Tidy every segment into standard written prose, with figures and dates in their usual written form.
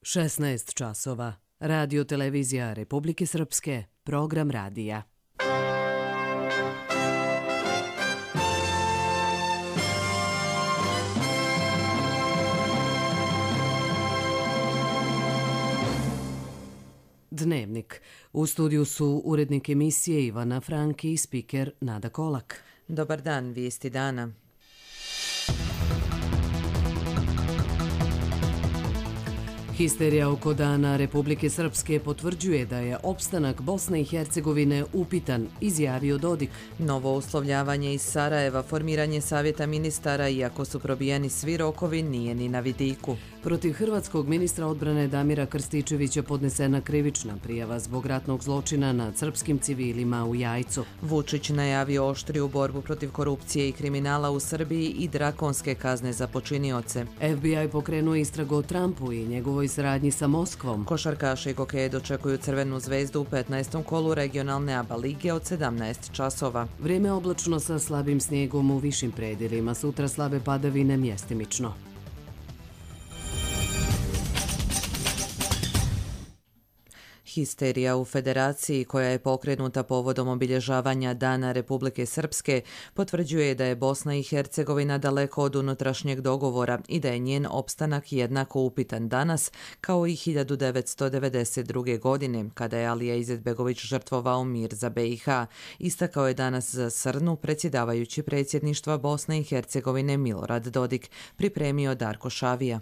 16 časova. Radio televizija Republike Srpske, program radija. Dnevnik. U studiju su urednik emisije Ivana Franki i spiker Nada Kolak. Dobar dan, vijesti dana. Histerija oko Dana Republike Srpske potvrđuje da je opstanak Bosne i Hercegovine upitan, izjavio Dodik. Novo uslovljavanje iz Sarajeva, formiranje savjeta ministara, iako su probijeni svi rokovi, nije ni na vidiku. Protiv hrvatskog ministra odbrane Damira Krstičevića podnesena krivična prijava zbog ratnog zločina nad srpskim civilima u Jajcu. Vučić najavio oštriju borbu protiv korupcije i kriminala u Srbiji i drakonske kazne za počinioce. FBI pokrenuo istragu o Trumpu i njegovoj saradnji sa Moskvom. Košarkaši i hokeje dočekuju Crvenu zvezdu u 15. kolu regionalne ABA lige od 17 časova. Vrijeme oblačno sa slabim snijegom u višim predjelima, sutra slabe padavine mjestimično. Histerija u Federaciji, koja je pokrenuta povodom obilježavanja Dana Republike Srpske, potvrđuje da je Bosna i Hercegovina daleko od unutrašnjeg dogovora i da je njen opstanak jednako upitan danas kao i 1992. godine, kada je Alija Izetbegović žrtvovao mir za BiH. Istakao je danas za Srnu predsjedavajući predsjedništva Bosne i Hercegovine Milorad Dodik, pripremio Darko Šavija.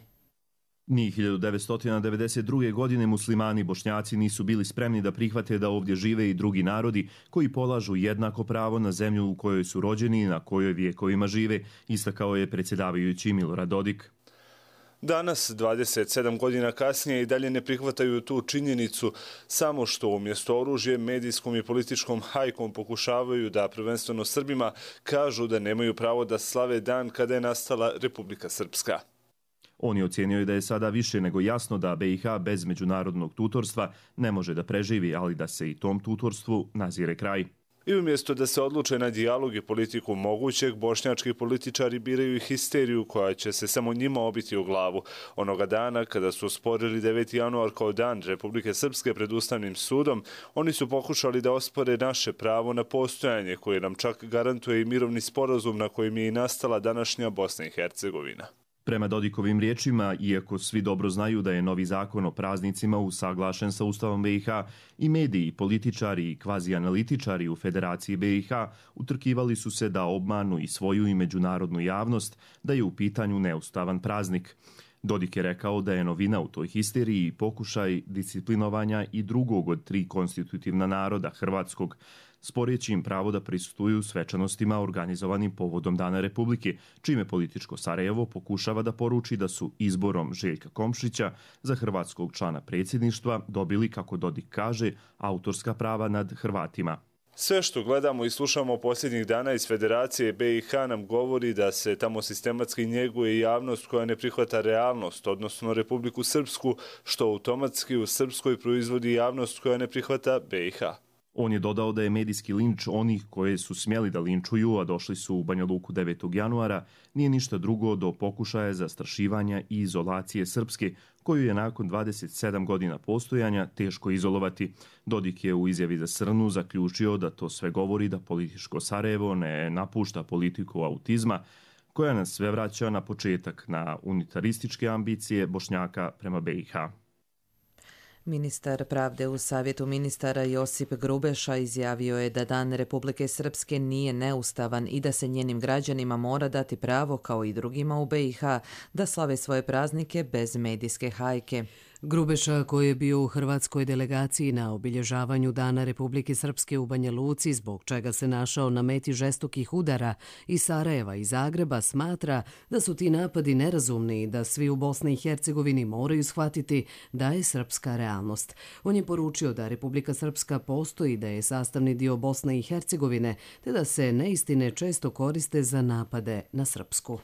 Ni 1992. godine muslimani i bošnjaci nisu bili spremni da prihvate da ovdje žive i drugi narodi koji polažu jednako pravo na zemlju u kojoj su rođeni i na kojoj vijekovima žive, istakao je predsjedavajući Milorad Dodik. Danas, 27 godina kasnije, i dalje ne prihvataju tu činjenicu, samo što umjesto oružjem, medijskom i političkom hajkom pokušavaju da, prvenstveno Srbima, kažu da nemaju pravo da slave dan kada je nastala Republika Srpska. On je ocijenio da je sada više nego jasno da BiH bez međunarodnog tutorstva ne može da preživi, ali da se i tom tutorstvu nazire kraj. I umjesto da se odluče na dijalog i politiku mogućeg, bošnjački političari biraju histeriju koja će se samo njima obiti u glavu. Onoga dana kada su osporili 9. januar kao dan Republike Srpske pred Ustavnim sudom, oni su pokušali da ospore naše pravo na postojanje, koje nam čak garantuje i mirovni sporazum na kojem je i nastala današnja Bosna i Hercegovina. Prema Dodikovim riječima, iako svi dobro znaju da je novi zakon o praznicima usaglašen sa Ustavom BiH, i mediji, političari i kvazi-analitičari u Federaciji BiH utrkivali su se da obmanu i svoju i međunarodnu javnost da je u pitanju neustavan praznik. Dodik je rekao da je novina u toj histeriji pokušaj disciplinovanja i drugog od 3 konstitutivna naroda, hrvatskog, sporeći im pravo da prisustvuju svečanostima organizovanim povodom Dana Republike, čime političko Sarajevo pokušava da poruči da su izborom Željka Komšića za hrvatskog člana predsjedništva dobili, kako Dodik kaže, autorska prava nad Hrvatima. Sve što gledamo i slušamo posljednjih dana iz Federacije BiH nam govori da se tamo sistematski njeguje javnost koja ne prihvata realnost, odnosno Republiku Srpsku, što automatski u Srpskoj proizvodi javnost koja ne prihvata BiH. On je dodao da je medijski linč onih koje su smjeli da linčuju, a došli su u Banja Luku 9. januara, nije ništa drugo do pokušaja zastrašivanja i izolacije Srpske, koju je nakon 27 godina postojanja teško izolovati. Dodik je u izjavi za Srnu zaključio da to sve govori da političko Sarajevo ne napušta politiku autizma, koja nas sve vraća na početak, na unitarističke ambicije Bošnjaka prema BiH. Ministar pravde u Savjetu ministara Josip Grubeša izjavio je da Dan Republike Srpske nije neustavan i da se njenim građanima mora dati pravo, kao i drugima u BiH, da slave svoje praznike bez medijske hajke. Grubeša, koji je bio u hrvatskoj delegaciji na obilježavanju Dana Republike Srpske u Banja Luci, zbog čega se našao na meti žestokih udara iz Sarajeva i Zagreba, smatra da su ti napadi nerazumni i da svi u Bosni i Hercegovini moraju shvatiti da je srpska realnost. On je poručio da Republika Srpska postoji, da je sastavni dio Bosne i Hercegovine, te da se neistine često koriste za napade na Srpsku.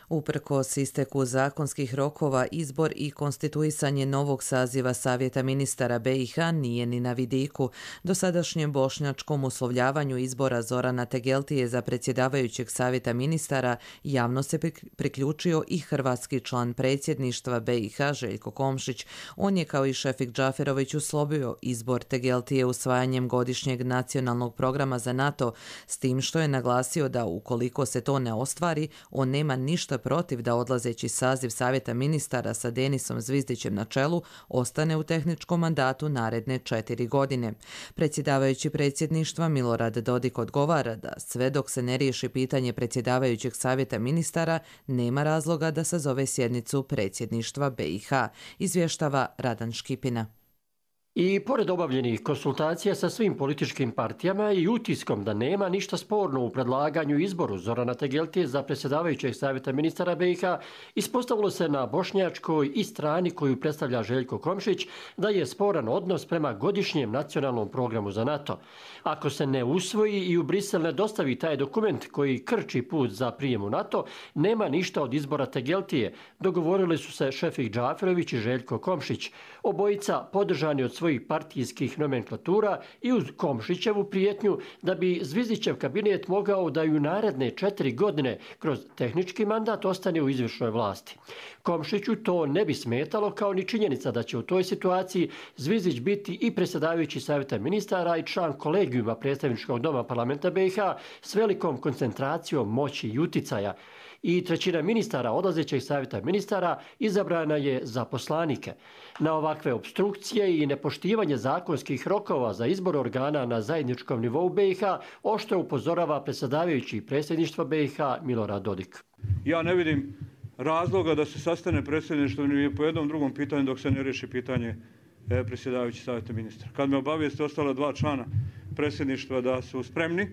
Uprkos isteku zakonskih rokova, izbor i konstituisanje novog saziva Savjeta ministara BiH nije ni na vidiku. Dosadašnjem bošnjačkom uslovljavanju izbora Zorana Tegeltije za predsjedavajućeg Savjeta ministara javno se priključio i hrvatski član predsjedništva BiH Željko Komšić. On je kao i Šefik Džaferović uslovio izbor Tegeltije usvajanjem godišnjeg nacionalnog programa za NATO, s tim što je naglasio da ukoliko se to ne ostvari, on nema ništa protiv da odlazeći saziv Savjeta ministara sa Denisom Zvizdićem na čelu ostane u tehničkom mandatu naredne 4 godine. Predsjedavajući predsjedništva Milorad Dodik odgovara da sve dok se ne riješi pitanje predsjedavajućeg Savjeta ministara, nema razloga da sazove sjednicu predsjedništva BiH, izvještava Radan Škipina. I pored obavljenih konsultacija sa svim političkim partijama i utiskom da nema ništa sporno u predlaganju izboru Zorana Tegeltije za predsjedavajućeg Savjeta ministara BiH, ispostavilo se na bošnjačkoj i strani koju predstavlja Željko Komšić da je sporan odnos prema godišnjem nacionalnom programu za NATO. Ako se ne usvoji i u Brisel ne dostavi taj dokument koji krči put za prijem u NATO, nema ništa od izbora Tegeltije, dogovorili su se Šefik Džaferović i Željko Komšić. Obojica podržani od svojih partijskih nomenklatura i uz Komšićevu prijetnju da bi Zvizdićev kabinet mogao da ju naredne 4 godine kroz tehnički mandat ostane u izvršnoj vlasti. Komšiću to ne bi smetalo kao ni činjenica da će u toj situaciji Zvizdić biti i predsjedavajući Savjeta ministara i član kolegijuma predstavničkog doma parlamenta BiH s velikom koncentracijom moći i uticaja. I trećina ministara odlazećeg Savjeta ministara izabrana je za poslanike. Na ovakve opstrukcije i nepoštivanje zakonskih rokova za izbor organa na zajedničkom nivou BiH oštro upozorava predsjedavajući predsjedništva BiH Milorad Dodik. Ja ne vidim razloga da se sastane predsjedništvo ni po jednom drugom pitanju dok se ne riješi pitanje predsjedavajući Savjeta ministra. Kad me obavijeste ostala 2 člana predsjedništva da su spremni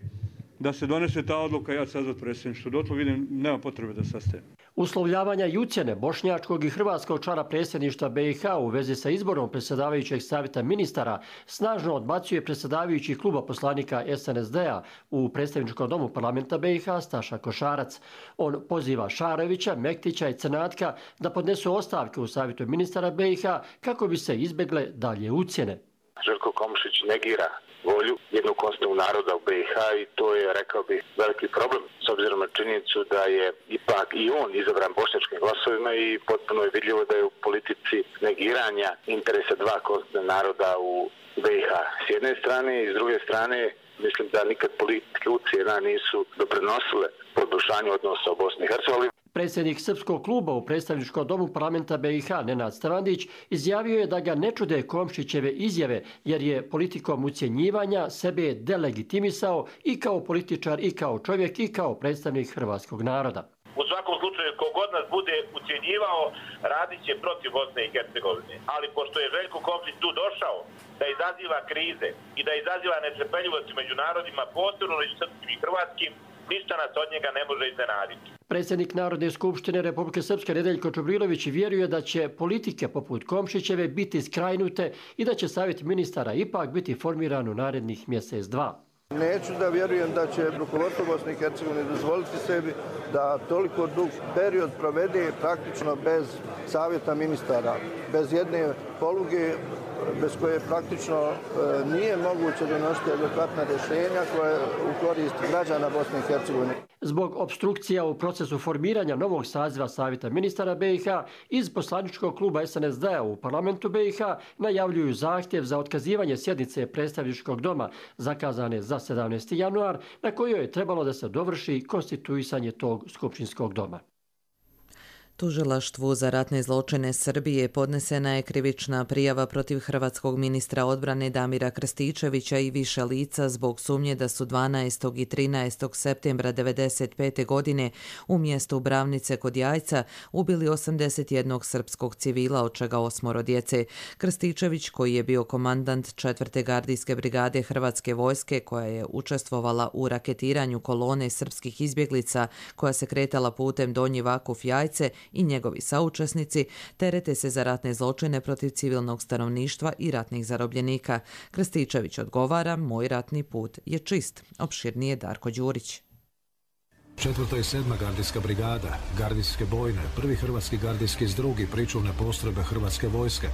da se donese ta odluka, ja ću sazvati predsjedništvo. Dotle vidim, nema potrebe da sastajem. Uslovljavanja i ucjene bošnjačkog i hrvatskog člana predsjedništva BiH u vezi sa izborom predsjedavajućeg Savjeta ministara snažno odbacuje predsjedavajući kluba poslanika SNSD-a u predstavničkom domu parlamenta BiH Staša Košarac. On poziva Šarovića, Mektića i Crnatka da podnesu ostavke u Savjetu ministara BiH kako bi se izbjegle dalje ucjene. Željko Komšić negira volju jednog konstitutivnog naroda u BiH i to je, rekao bih, veliki problem s obzirom na činjenicu da je ipak i on izabran bošnjačkim glasovima i potpuno je vidljivo da je u politici negiranja interesa 2 konstitutivna naroda u BiH s jedne strane i s druge strane mislim da nikad političke ucjena nisu doprinosile poboljšanju odnosa u Bosni i Hercegovini. Predsjednik Srpskog kluba u predstavničkom domu parlamenta BiH Nenad Strandić izjavio je da ga ne čude Komšićeve izjave jer je politikom ucjenjivanja sebe delegitimisao i kao političar i kao čovjek i kao predstavnik hrvatskog naroda. U svakom slučaju, kogod nas bude ucjenjivao, radit će protiv Bosne i Hercegovine. Ali pošto je Željko Komšić tu došao da izaziva krize i da izaziva netrpeljivosti među narodima, posebno među srpskim i hrvatskim, ništa nas od njega ne može iznenaditi. Predsjednik Narodne skupštine Republike Srpske Nedeljko Čubrilović vjeruje da će politike poput Komšićeve biti skrajnute i da će Savjet ministara ipak biti formiran u narednih mjesec, 2. Neću da vjerujem da će rukovodstvo Bosne i Hercegovine dozvoliti sebi da toliko dug period provede praktično bez Savjeta ministara, bez jedne poluge bez koje praktično nije moguće donositi adekvatna rješenja koje u korist građana Bosne i Hercegovine. Zbog opstrukcija u procesu formiranja novog saziva Savjeta ministara BiH iz poslaničkog kluba SNSD-a u parlamentu BiH najavljuju zahtjev za otkazivanje sjednice predstavničkog doma zakazane za 17. januar na kojoj je trebalo da se dovrši konstituisanje tog skupštinskog doma. Tužilaštvu za ratne zločine Srbije podnesena je krivična prijava protiv hrvatskog ministra odbrane Damira Krstičevića i više lica zbog sumnje da su 12. i 13. septembra 1995. godine u mjestu Bravnice kod Jajca ubili 81 srpskog civila, od čega 8 djece. Krstičević, koji je bio komandant 4. gardijske brigade Hrvatske vojske koja je učestvovala u raketiranju kolone srpskih izbjeglica koja se kretala putem Donji Vakuf-Jajce, i njegovi saučesnici terete se za ratne zločine protiv civilnog stanovništva i ratnih zarobljenika. Krstičević odgovara: moj ratni put je čist. Opširnije Darko Đurić. 4. i 7. gardijska brigada, gardijske bojne, 1. hrvatski gardijski zdrug i pričuvne postrojbe Hrvatske vojske,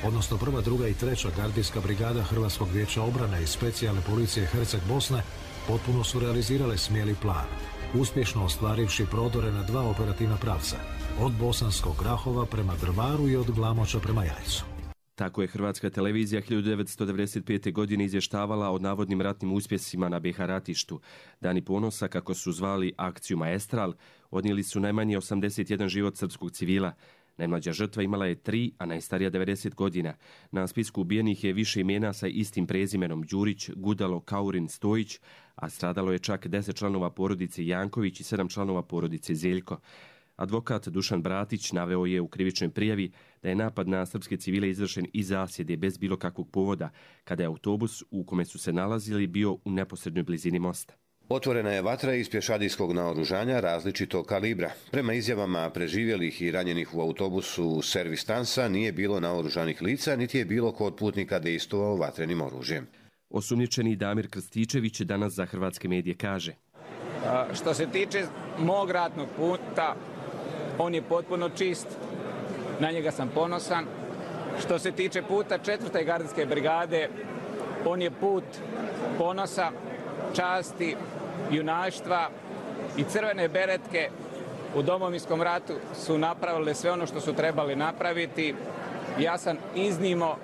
odnosno 1., 2. i 3. gardijska brigada Hrvatskog vijeća obrane i specijalne policije Herceg Bosne potpuno su realizirale smjeli plan, uspješno ostvarivši prodore na 2 operativna pravca, od Bosanskog Grahova prema Drvaru i od Glamoča prema Jajcu. Tako je Hrvatska televizija 1995. godine izvještavala o navodnim ratnim uspjesima na BiH ratištu. Dani ponosa, kako su zvali akciju Maestral, odnijeli su najmanje 81 život srpskog civila. Najmlađa žrtva imala je 3, a najstarija 90 godina. Na spisku ubijenih je više imena sa istim prezimenom: Đurić, Gudalo, Kaurin, Stojić, a stradalo je čak 10 članova porodice Janković i 7 članova porodice Zeljko. Advokat Dušan Bratić naveo je u krivičnoj prijavi da je napad na srpske civile izvršen iz zasjede bez bilo kakvog povoda, kada je autobus u kome su se nalazili bio u neposrednoj blizini mosta. Otvorena je vatra iz pješadijskog naoružanja različitog kalibra. Prema izjavama preživjelih i ranjenih u autobusu Servis Tansa nije bilo naoružanih lica, niti je bilo kod putnika dejstvovao vatrenim oružjem. Osumnjičeni Damir Krstičević danas za hrvatske medije kaže: Što se tiče mog ratnog puta, on je potpuno čist, na njega sam ponosan. Što se tiče puta 4. gardijske brigade, on je put ponosa, časti, junaštva i crvene beretke u Domovinskom ratu su napravile sve ono što su trebali napraviti. Ja sam iznimno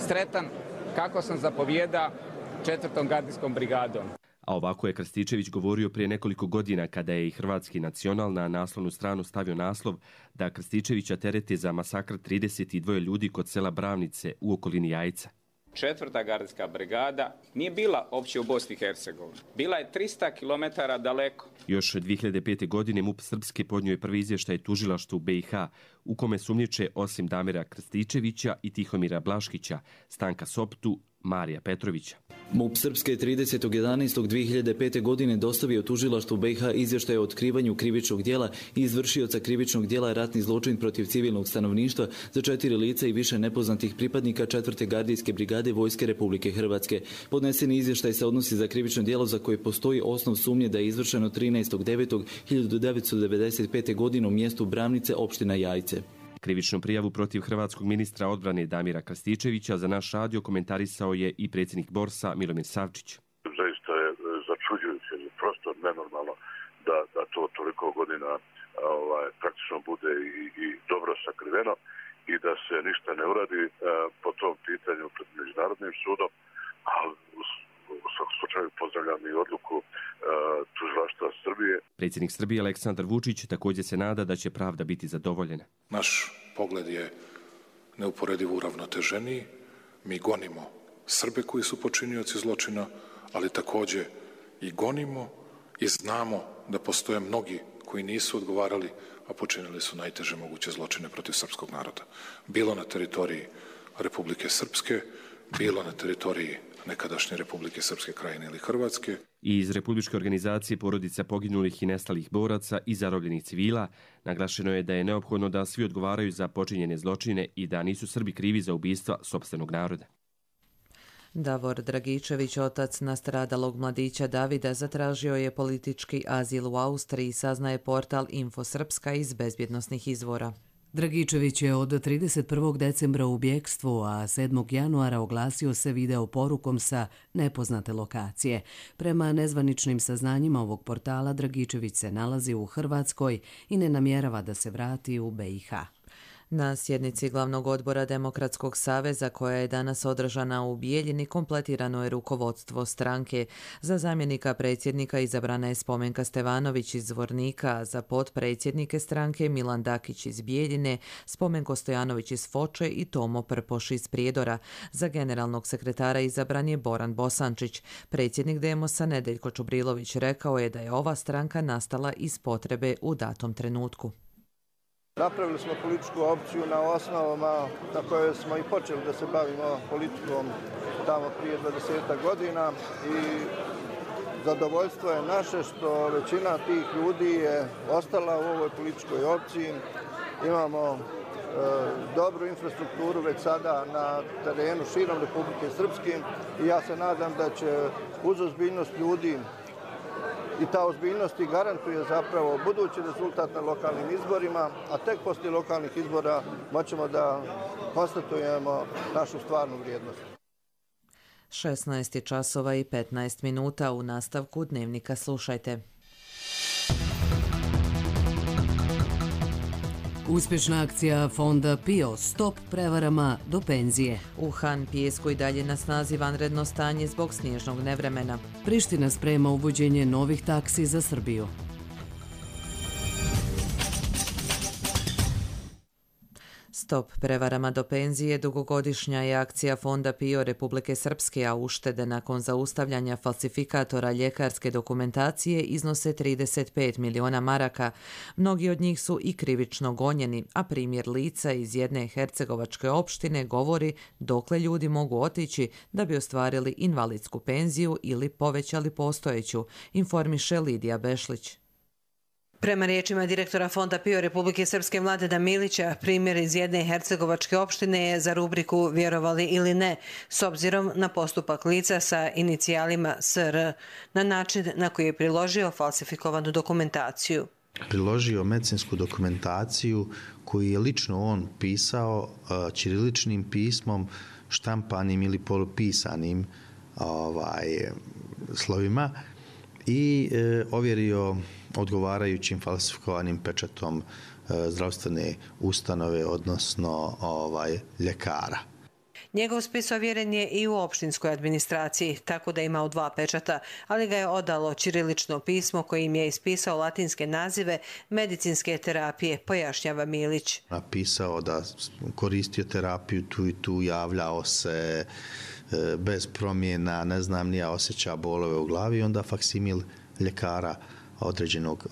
sretan kako sam zapovjeda 4. gardijskom brigadom. A ovako je Krstičević govorio prije nekoliko godina kada je i Hrvatski nacional na naslovnu stranu stavio naslov da Krstičevića terete za masakr 32 ljudi kod sela Bravnice u okolini Jajca. 4. gardijska brigada nije bila opće u Bosni i Hercegovini. Bila je 300 km daleko. Još 2005. godine MUP Srpske podnio je prvi izvještaj tužilaštvu BiH u kome sumnjiče osim Damira Krstičevića i Tihomira Blaškića, Stanka Soptu, Marija Petrovića. MUP Srpske 30.11.2005. godine dostavio tužilaštvu BiH izvještaj o otkrivanju krivičnog djela i izvršioca krivičnog djela ratni zločin protiv civilnog stanovništva za 4 lica i više nepoznatih pripadnika 4. gardijske brigade Vojske Republike Hrvatske. Podneseni izvještaj se odnosi za krivično djelo za koje postoji osnov sumnje da je izvršeno 13.9.1995. godine u mjestu Bravnice, opština Jajce. Krivičnu prijavu protiv hrvatskog ministra odbrane Damira Krstičevića za naš radio komentarisao je i predsjednik Borsa Milomir Savčić. Zaista je začuđujuće, prosto nenormalno da to toliko godina praktično bude i dobro sakriveno i da se ništa ne uradi po tom pitanju pred Međunarodnim sudom, ali u svakom slučaju pozdravljam i odluku tužilaštva Srbije. Predsjednik Srbije Aleksandar Vučić također se nada da će pravda biti zadovoljena. Naš pogled je neuporedivo uravnoteženiji. Mi gonimo Srbe koji su počinioci zločina, ali također i gonimo i znamo da postoje mnogi koji nisu odgovarali, a počinili su najteže moguće zločine protiv srpskog naroda. Bilo na teritoriji Republike Srpske, bilo na teritoriji nekadašnje Republike Srpske Krajine ili Hrvatske. I iz Republičke organizacije porodica poginulih i nestalih boraca i zarobljenih civila naglašeno je da je neophodno da svi odgovaraju za počinjene zločine i da nisu Srbi krivi za ubistva sopstvenog naroda. Davor Dragičević, otac nastradalog mladića Davida, zatražio je politički azil u Austriji, saznaje portal Info Srpska iz bezbjednosnih izvora. Dragičević je od 31. decembra u bjekstvu, a 7. januara oglasio se video porukom sa nepoznate lokacije. Prema nezvaničnim saznanjima ovog portala, Dragičević se nalazi u Hrvatskoj i ne namjerava da se vrati u BiH. Na sjednici Glavnog odbora Demokratskog saveza koja je danas održana u Bijeljini kompletirano je rukovodstvo stranke. Za zamjenika predsjednika izabrana je Spomenka Stevanović iz Zvornika, za potpredsjednike stranke Milan Dakić iz Bijeljine, Spomenko Stojanović iz Foče i Tomo Prpoš iz Prijedora. Za generalnog sekretara izabran je Boran Bosančić. Predsjednik Demosa Nedeljko Čubrilović rekao je da je ova stranka nastala iz potrebe u datom trenutku. Napravili smo političku opciju na osnovama na kojoj smo i počeli da se bavimo politikom tamo prije 20 godina i zadovoljstvo je naše što većina tih ljudi je ostala u ovoj političkoj opciji. Imamo dobru infrastrukturu već sada na terenu širom Republike Srpske i ja se nadam da će uz ozbiljnost ljudi i ta ozbiljnost i garantuje zapravo budući rezultat na lokalnim izborima, a tek poslije lokalnih izbora moćemo da konstatujemo našu stvarnu vrijednost. 16 časova i 15 minuta. U nastavku Dnevnika slušajte. Uspješna akcija fonda PIO Stop prevarama do penzije. U Han Pijesku i dalje na snazi vanredno stanje zbog snježnog nevremena. Priština sprema uvođenje novih taksi za Srbiju. Stop prevarama do penzije dugogodišnja je akcija fonda PIO Republike Srpske, a uštede nakon zaustavljanja falsifikatora ljekarske dokumentacije iznose 35 miliona maraka. Mnogi od njih su i krivično gonjeni, a primjer lica iz jedne hercegovačke opštine govori dokle ljudi mogu otići da bi ostvarili invalidsku penziju ili povećali postojeću, informiše Lidija Bešlić. Prema riječima direktora fonda PIO Republike Srpske Mladena Milića, primjer iz jedne hercegovačke opštine je za rubriku vjerovali ili ne, s obzirom na postupak lica sa inicijalima SR, na način na koji je priložio falsifikovanu dokumentaciju. Priložio medicinsku dokumentaciju koju je lično on pisao ćiriličnim pismom, štampanim ili polupisanim slovima i ovjerio odgovarajućim falsifikovanim pečatom zdravstvene ustanove, odnosno ljekara. Njegov spis ovjeren je i u opštinskoj administraciji, tako da je imao 2 pečata, ali ga je odalo ćirilično pismo kojim je ispisao latinske nazive medicinske terapije, pojašnjava Milić. Napisao da koristio terapiju tu i tu, javljao se bez promjena, ne znam, nije osjeća bolove u glavi, onda faksimil ljekara, određenog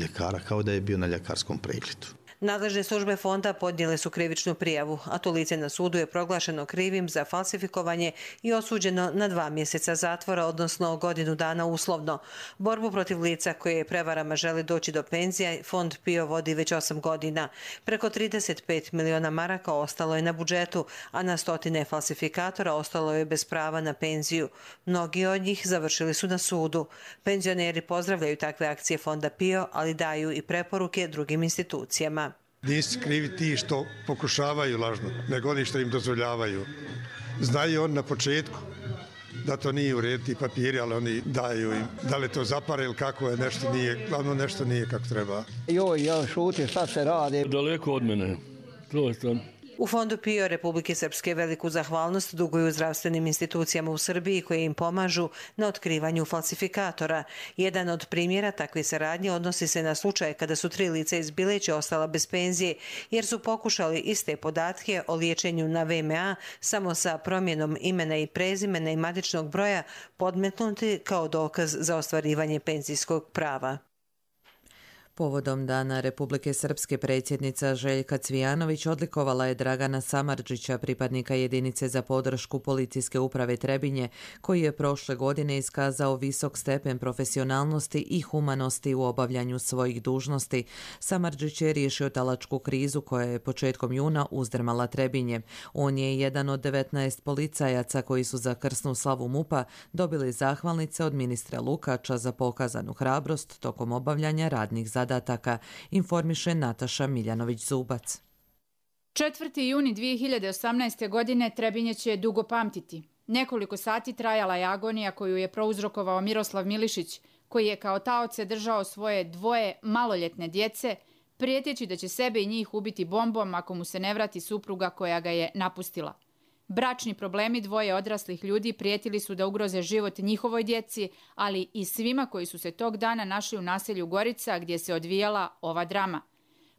ljekara, kao da je bio na ljekarskom pregledu. Nadležne službe fonda podnijele su krivičnu prijavu, a to lice na sudu je proglašeno krivim za falsifikovanje i osuđeno na 2 mjeseca zatvora, odnosno godinu dana uslovno. Borbu protiv lica koje prevarama želi doći do penzija, fond PIO vodi već 8 godina. Preko 35 miliona maraka ostalo je na budžetu, a na stotine falsifikatora ostalo je bez prava na penziju. Mnogi od njih završili su na sudu. Penzioneri pozdravljaju takve akcije fonda PIO, ali daju i preporuke drugim institucijama. Nisu krivi ti što pokušavaju lažno, nego oni što im dozvoljavaju. Znaju on na početku da to nije u redu, ti papiri, ali oni daju im. Da li to zapare ili kako je, nešto nije, glavno nešto nije kako treba. Joj, ja šutim, šta se radi? Daleko od mene, to je to. U fondu PIO Republike Srpske veliku zahvalnost duguju zdravstvenim institucijama u Srbiji koje im pomažu na otkrivanju falsifikatora. Jedan od primjera takve saradnje odnosi se na slučaj kada su 3 lica iz Bileća ostala bez penzije jer su pokušali iste podatke o liječenju na VMA samo sa promjenom imena i prezimena i matičnog broja podmetnuti kao dokaz za ostvarivanje penzijskog prava. Povodom Dana Republike Srpske predsjednica Željka Cvijanović odlikovala je Dragana Samardžića, pripadnika jedinice za podršku policijske uprave Trebinje, koji je prošle godine iskazao visok stepen profesionalnosti i humanosti u obavljanju svojih dužnosti. Samardžić je riješio talačku krizu koja je početkom juna uzdrmala Trebinje. On je jedan od 19 policajaca koji su za krsnu slavu MUP-a dobili zahvalnice od ministra Lukača za pokazanu hrabrost tokom obavljanja radnih zadataka, informiše Nataša Miljanović-Zubac. 4. juni 2018. godine Trebinje će dugo pamtiti. Nekoliko sati trajala je agonija koju je prouzrokovao Miroslav Milišić, koji je kao taoce držao svoje 2 maloljetne djece, prijeteći da će sebe i njih ubiti bombom ako mu se ne vrati supruga koja ga je napustila. Bračni problemi 2 odraslih ljudi prijetili su da ugroze život njihovoj djeci, ali i svima koji su se tog dana našli u naselju Gorica gdje se odvijala ova drama.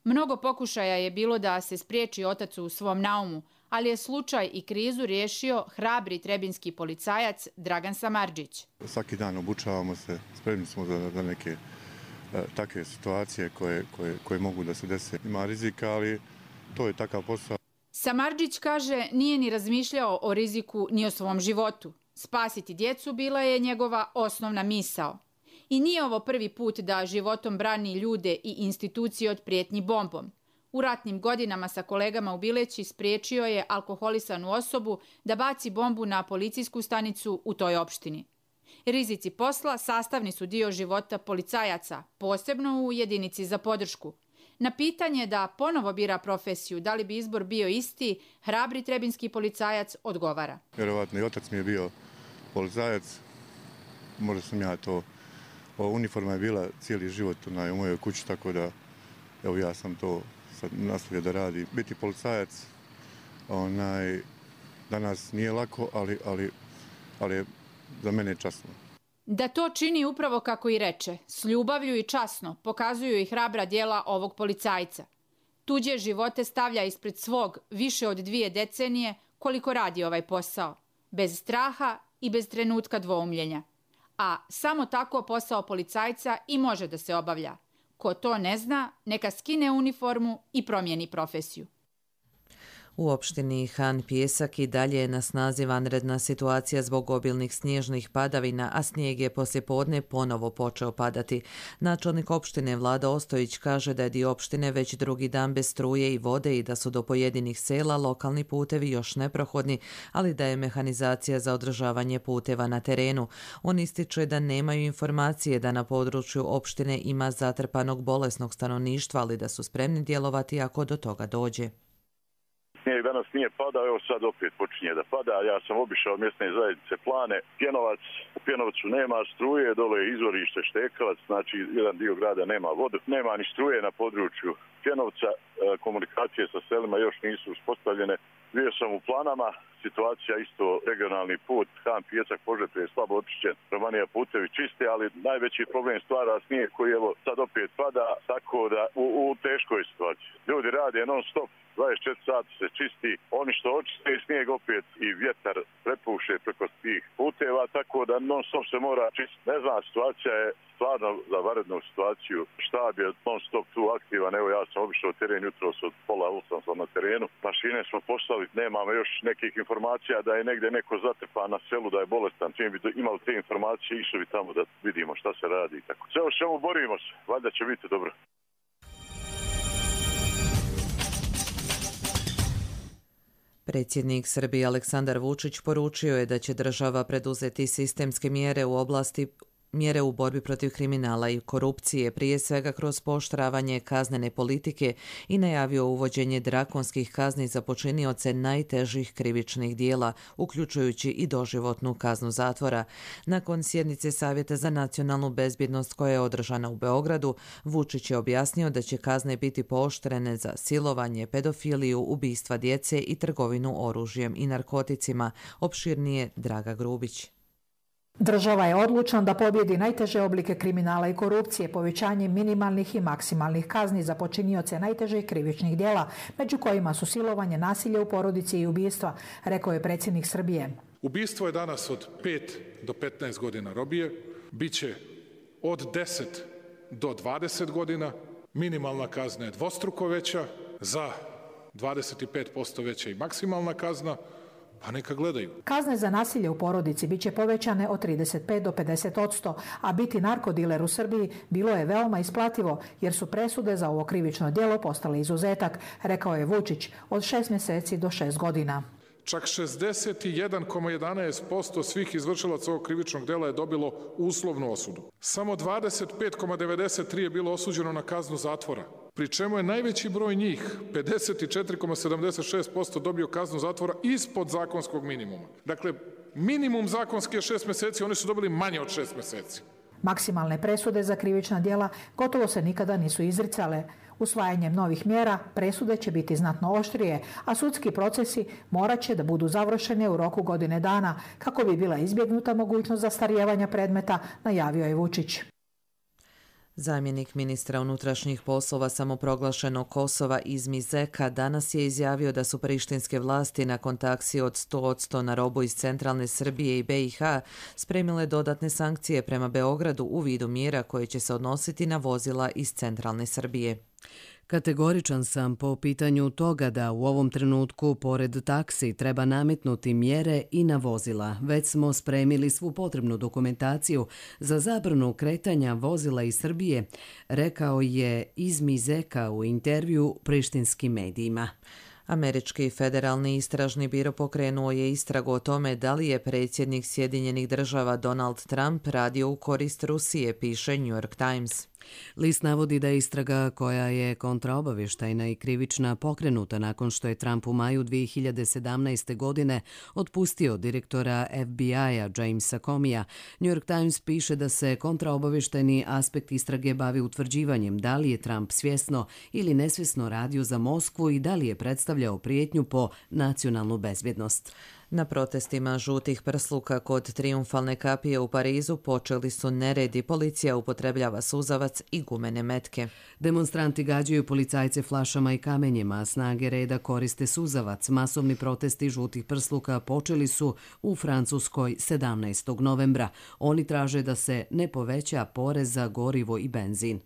Mnogo pokušaja je bilo da se spriječi otac u svom naumu, ali je slučaj i krizu riješio hrabri trebinski policajac Dragan Samardžić. Svaki dan obučavamo se, spremni smo za neke takve situacije koje mogu da se dese. Ima rizika, ali to je takav posao. Samardžić kaže nije ni razmišljao o riziku ni o svom životu. Spasiti djecu bila je njegova osnovna misao. I nije ovo prvi put da životom brani ljude i institucije od prijetnji bombom. U ratnim godinama sa kolegama u Bileći spriječio je alkoholisanu osobu da baci bombu na policijsku stanicu u toj opštini. Rizici posla sastavni su dio života policajaca, posebno u jedinici za podršku. Na pitanje da ponovo bira profesiju, da li bi izbor bio isti, hrabri trebinski policajac odgovara. Vjerovatno i otac mi je bio policajac, možda sam ja to. Uniforma je bila cijeli život u mojoj kući, tako da evo ja sam to sad nastavio da radi. Biti policajac danas nije lako, ali je za mene časno. Da to čini upravo kako i reče, s ljubavlju i časno pokazuju i hrabra djela ovog policajca. Tuđe živote stavlja ispred svog više od 2 decenije koliko radi ovaj posao, bez straha i bez trenutka dvoumljenja. A samo tako posao policajca i može da se obavlja. Ko to ne zna, neka skine uniformu i promijeni profesiju. U opštini Han Pijesak i dalje je na snazi vanredna situacija zbog obilnih snježnih padavina, a snijeg je poslijepodne ponovo počeo padati. Načelnik opštine Vlada Ostojić kaže da je dio opštine već drugi dan bez struje i vode i da su do pojedinih sela lokalni putevi još neprohodni, ali da je mehanizacija za održavanje puteva na terenu. On ističe da nemaju informacije da na području opštine ima zatrpanog bolesnog stanovništva, ali da su spremni djelovati ako do toga dođe. Snijeg danas nije padao, evo sad opet počinje da pada. Ja sam obišao mjesne zajednice Plane, Pjenovac, u Pjenovcu nema struje, dole je izvorište Štekavac, znači jedan dio grada nema vodu, nema ni struje na području Pjenovca, komunikacije sa selima još nisu uspostavljene. Bio sam u Planama, situacija isto regionalni put, Han Pijesak Požepe je slabo očišćen, Romanija putevi čisti, ali najveći problem stvara snijeg koji evo sad opet pada, tako da u teškoj situaciji. Ljudi rade non stop, 24 sati se čisti, oni što očiste snijeg opet i vjetar prepuše preko tih puteva, tako da non stop se mora čistiti. Ne znam, situacija je stvarno za vanrednu situaciju. Štab je non stop tu aktivan, evo ja sam obišao teren jutros od 7:30 sam na terenu. Mašine smo poslali, nemamo još nekih informacija da je negdje neko zatrpan na selu, da je bolestan. Čim bi imali te informacije, išli bi tamo da vidimo šta se radi i tako. Sve o čemu borimo se, valjda će biti dobro. Predsjednik Srbije Aleksandar Vučić poručio je da će država preduzeti sistemske mjere u borbi protiv kriminala i korupcije, prije svega kroz pooštravanje kaznene politike, i najavio uvođenje drakonskih kazni za počinioce najtežih krivičnih dijela, uključujući i doživotnu kaznu zatvora. Nakon sjednice Savjeta za nacionalnu bezbjednost koja je održana u Beogradu, Vučić je objasnio da će kazne biti pooštrene za silovanje, pedofiliju, ubistva djece i trgovinu oružjem i narkoticima. Opširnije Draga Grubić. Država je odlučna da pobjedi najteže oblike kriminala i korupcije povećanjem minimalnih i maksimalnih kazni za počinioce najtežih krivičnih djela, među kojima su silovanje, nasilje u porodici i ubistva, rekao je predsjednik Srbije. Ubistvo je danas od 5 do 15 godina robije, bit će od 10 do 20 godina, minimalna kazna je dvostruko veća, za 25% veća i maksimalna kazna, pa neka gledaju. Kazne za nasilje u porodici bit će povećane od 35 do 50%, a biti narkodiler u Srbiji bilo je veoma isplativo, jer su presude za ovo krivično djelo postale izuzetak, rekao je Vučić, od 6 mjeseci do 6 godina. Čak 61,11% svih izvršilaca ovog krivičnog djela je dobilo uslovnu osudu. Samo 25,93% je bilo osuđeno na kaznu zatvora, pri čemu je najveći broj njih, 54,76%, dobio kaznu zatvora ispod zakonskog minimuma. Dakle, minimum zakonski je 6 mjeseci, oni su dobili manje od 6 mjeseci. Maksimalne presude za krivična djela gotovo se nikada nisu izricale. Usvajanjem novih mjera presude će biti znatno oštrije, a sudski procesi morat će da budu završeni u roku godine dana kako bi bila izbjegnuta mogućnost zastarijevanja predmeta, najavio je Vučić. Zamjenik ministra unutrašnjih poslova samoproglašenog Kosova Izmi Zeka danas je izjavio da su prištinske vlasti nakon taksi od 100% na robu iz centralne Srbije i BiH spremile dodatne sankcije prema Beogradu u vidu mjera koje će se odnositi na vozila iz centralne Srbije. Kategoričan sam po pitanju toga da u ovom trenutku pored taksi treba nametnuti mjere i na vozila. Već smo spremili svu potrebnu dokumentaciju za zabranu kretanja vozila iz Srbije, rekao je Izmi Zeka u intervju prištinskim medijima. Američki federalni istražni biro pokrenuo je istragu o tome da li je predsjednik Sjedinjenih država Donald Trump radio u korist Rusije, piše New York Times. List navodi da je istraga koja je kontraobavještajna i krivična pokrenuta nakon što je Trump u maju 2017. godine otpustio direktora FBI-a Jamesa Comeyja. New York Times piše da se kontraobavještajni aspekt istrage bavi utvrđivanjem da li je Trump svjesno ili nesvjesno radio za Moskvu i da li je predstavljao prijetnju po nacionalnu bezbjednost. Na protestima žutih prsluka kod Trijumfalne kapije u Parizu počeli su neredi, policija upotrebljava suzavac i gumene metke. Demonstranti gađaju policajce flašama i kamenjima, a snage reda koriste suzavac. Masovni protesti žutih prsluka počeli su u Francuskoj 17. novembra. Oni traže da se ne poveća porez za gorivo i benzin.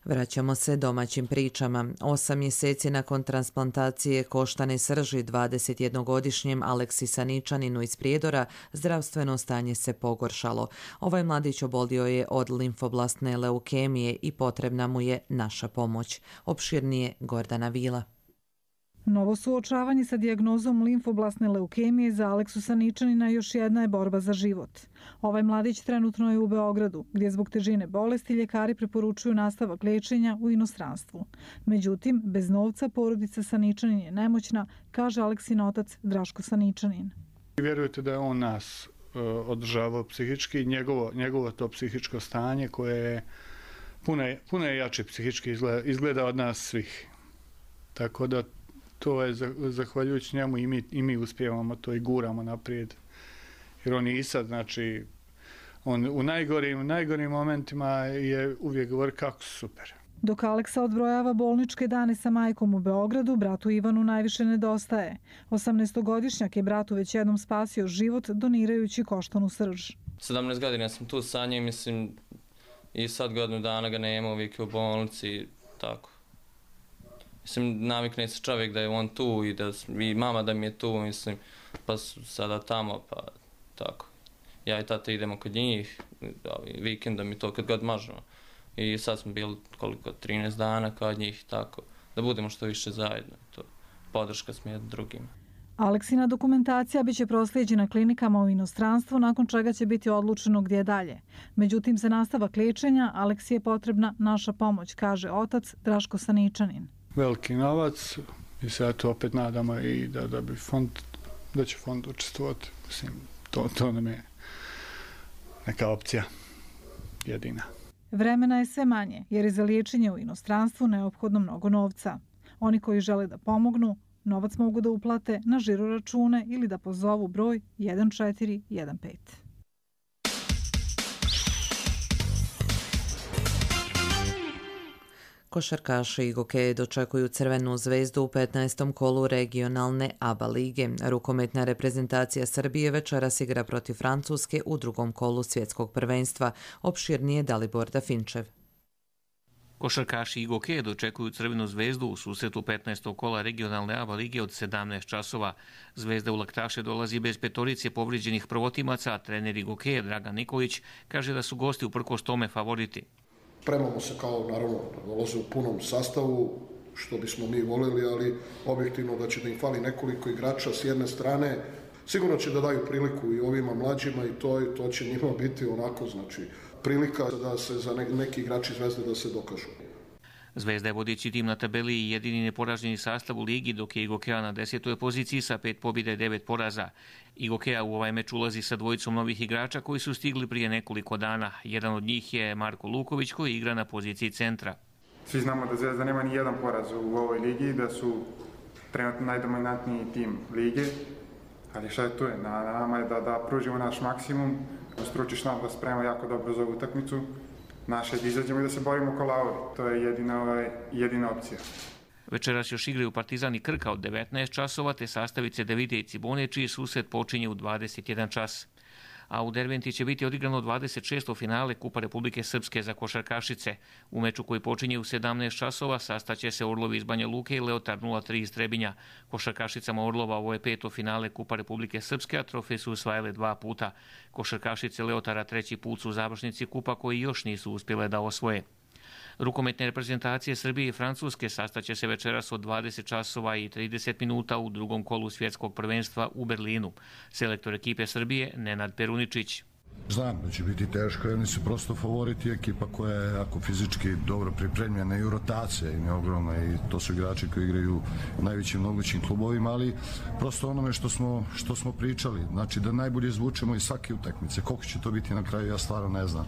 Vraćamo se domaćim pričama. 8 mjeseci nakon transplantacije koštane srži 21-godišnjem Aleksi Saničaninu iz Prijedora, zdravstveno stanje se pogoršalo. Ovaj mladić obolio je od limfoblastne leukemije i potrebna mu je naša pomoć. Opširnije Gordana Vila. Novo suočavanje sa dijagnozom limfoblastne leukemije za Aleksu Saničanina još jedna je borba za život. Ovaj mladić trenutno je u Beogradu, gdje zbog težine bolesti ljekari preporučuju nastavak liječenja u inostranstvu. Međutim, bez novca porodica Saničanin je nemoćna, kaže Aleksin otac Draško Saničanin. Vjerujete da je on nas održavao psihički, njegovo to psihičko stanje koje je puno je jače psihički izgleda od nas svih. Tako da to je zahvaljujući njemu i mi uspijevamo to i guramo naprijed. Jer on je i sad, znači, on u najgorim momentima je uvijek govori kako su super. Dok Aleksa odbrojava bolničke dane sa majkom u Beogradu, bratu Ivanu najviše nedostaje. 18-godišnjak je bratu već jednom spasio život donirajući koštanu srž. 17 godina sam tu sa njim, mislim, i sad godinu dana ga nema, uvijek je u bolnici, tako. Mislim, navikne se čovjek da je on tu i mama da mi je tu, mislim, pa sada tamo, pa tako. Ja i tata idemo kod njih, vikendom i to kad god možemo. I sad smo bili 13 dana kod njih, tako, da budemo što više zajedno. To podrška smo jednim drugima. Aleksina dokumentacija biće proslijeđena klinikama u inostranstvu, nakon čega će biti odlučeno gdje dalje. Međutim, za nastavak liječenja Aleksi je potrebna naša pomoć, kaže otac Draško Saničanin. Veliki novac i se to opet nadamo i da će fond učestvovati. Mislim, to nam je neka opcija jedina. Vremena je sve manje jer je za liječenje u inostranstvu neophodno mnogo novca. Oni koji žele da pomognu, novac mogu da uplate na žiro račune ili da pozovu broj 1415. Košarkaši Igoke dočekuju Crvenu zvezdu u 15. kolu regionalne ABA lige. Rukometna reprezentacija Srbije večeras igra protiv Francuske u drugom kolu svjetskog prvenstva. Opširnije Dalibor Dafinčev. Košarkaši Igoke dočekuju Crvenu zvezdu u susretu 15. kola regionalne ABA lige od 17 časova. Zvezda u laktaše dolazi bez petorice povrijeđenih prvotimaca, a trener Igoke Dragan Nikolić kaže da su gosti uprkos tome favoriti. Spremamo se kao, naravno, dolaze u punom sastavu, što bismo mi volili, ali objektivno da će da im fali nekoliko igrača s jedne strane. Sigurno će da daju priliku i ovima mlađima i to će njima biti onako, znači, prilika da se za neki igrači Zvezde da se dokažu. Zvezda je vodeći tim na tabeli i jedini neporaženi sastav u ligi, dok je Igokea na 10. poziciji sa 5 pobjeda i 9 poraza. Igokea u ovaj meč ulazi sa dvojicom novih igrača koji su stigli prije nekoliko dana. Jedan od njih je Marko Luković koji igra na poziciji centra. Svi znamo da Zvezda nema ni jedan poraz u ovoj ligi, da su trenutno najdominantniji tim lige, ali šta je tu je? Na nama je da pružimo naš maksimum, stručiš nam da spremamo jako dobro za ovu utakmicu. Naše da izađemo i da se borimo ko lauri. To je jedina opcija. Večeras još igraju Partizan i Krka od 19 časova, te sastavice Davide i Cibone, čiji susret počinje u 21 čas. A u Derventi će biti odigrano 26. finale Kupa Republike Srpske za košarkašice. U meču koji počinje u 17 časova sastaće se Orlovi iz Banja Luke i Leotar 03 iz Trebinja. Košarkašicama Orlova ovo je 5. finale Kupa Republike Srpske, a trofej su osvajale 2 puta. Košarkašice Leotara 3. put su u završnici Kupa koji još nisu uspjele da osvoje. Rukometne reprezentacije Srbije i Francuske sastaće se večeras od 20 časova i 30 minuta u drugom kolu svjetskog prvenstva u Berlinu. Selektor ekipe Srbije Nenad Peruničić. Znam da će biti teško, oni su prosto favoriti, ekipa koja je jako fizički dobro pripremljena i u rotacija im je ogromna i to su igrači koji igraju u najvećim mogućim klubovima, ali prosto onome što smo pričali, znači da najbolje izvučemo iz svake utakmice. Koliko će to biti na kraju, ja stvarno ne znam.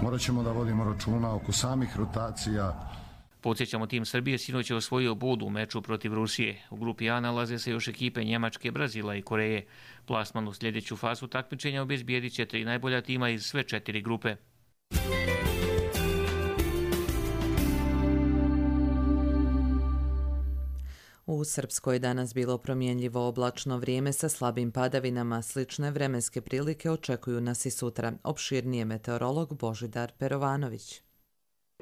Morat ćemo da vodimo računa oko samih rotacija. Podsjećamo, tim Srbije sinoć je osvojio bod u meču protiv Rusije. U grupi A nalaze se još ekipe Njemačke, Brazila i Koreje. Plasman u sljedeću fazu takmičenja obezbijedit će 3 najbolja tima iz sve 4 grupe. U Srpskoj danas bilo promjenljivo oblačno vrijeme sa slabim padavinama. Slične vremenske prilike očekuju nas i sutra. Opširnije meteorolog Božidar Perovanović.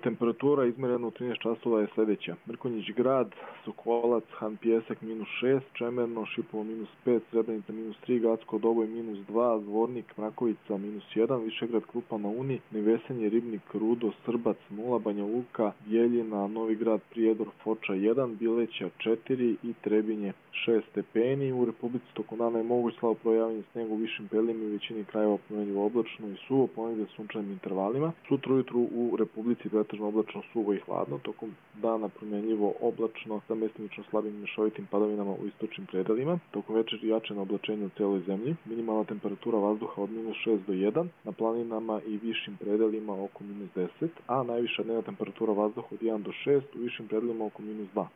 Temperatura izmjerena u 13 časova je sljedeća. Mrkonjić grad, Sokolac, Han Pjesak -6, Čemerno, Šipovo -5, Srebrenica -3, Gacko Doboj -2, Zvornik, Mrakovica -1, Višegrad, Krupa na Uni, Nevesenje, Ribnik, Rudo, Srbac 0, Banja Luka, Bjeljina, Novi Grad, Prijedor, Foča 1, Bileća 4 i Trebinje 6 stepeni. U Republici tokom dana je moguć slabo projavljanje snijega u višim predjelima i većini krajeva promjenljivo oblačno i suvo, ponegdje sunčanim intervalima. Sutra ujutru u Republici pretežno oblačno, suvo i hladno, tokom dana promjenljivo oblačno sa mestimično slabim mješovitim padavinama u istočnim predelima. Tokom večeri jače na oblačenje u cijeloj zemlji. Minimalna temperatura vazduha od -6 do 1, na planinama i višim predelima oko -10, a najviša dnevna temperatura vazduha od 1 do 6, u višim predelima oko -2.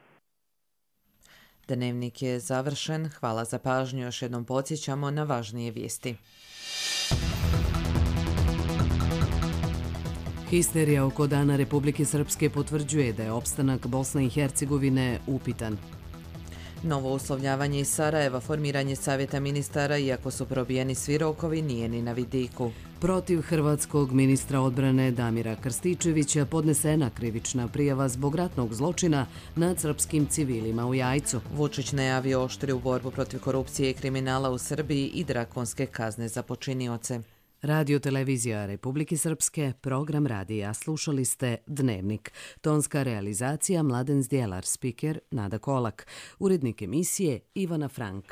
Dnevnik je završen. Hvala za pažnju. Još jednom podsjećamo na važnije vijesti. Histerija oko Dana Republike Srpske potvrđuje da je opstanak Bosne i Hercegovine upitan. Novo uslovljavanje iz Sarajeva, formiranje savjeta ministara, iako su probijeni svi rokovi, nije ni na vidiku. Protiv hrvatskog ministra odbrane Damira Krstičevića podnesena krivična prijava zbog ratnog zločina nad srpskim civilima u Jajcu. Vučić najavio oštriju borbu protiv korupcije i kriminala u Srbiji i drakonske kazne za počinioce. Radio televizija Republike Srpske, program radija. Slušali ste Dnevnik. Tonska realizacija Mladen Zdjelar, spiker Nada Kolak. Urednik emisije Ivana Frank.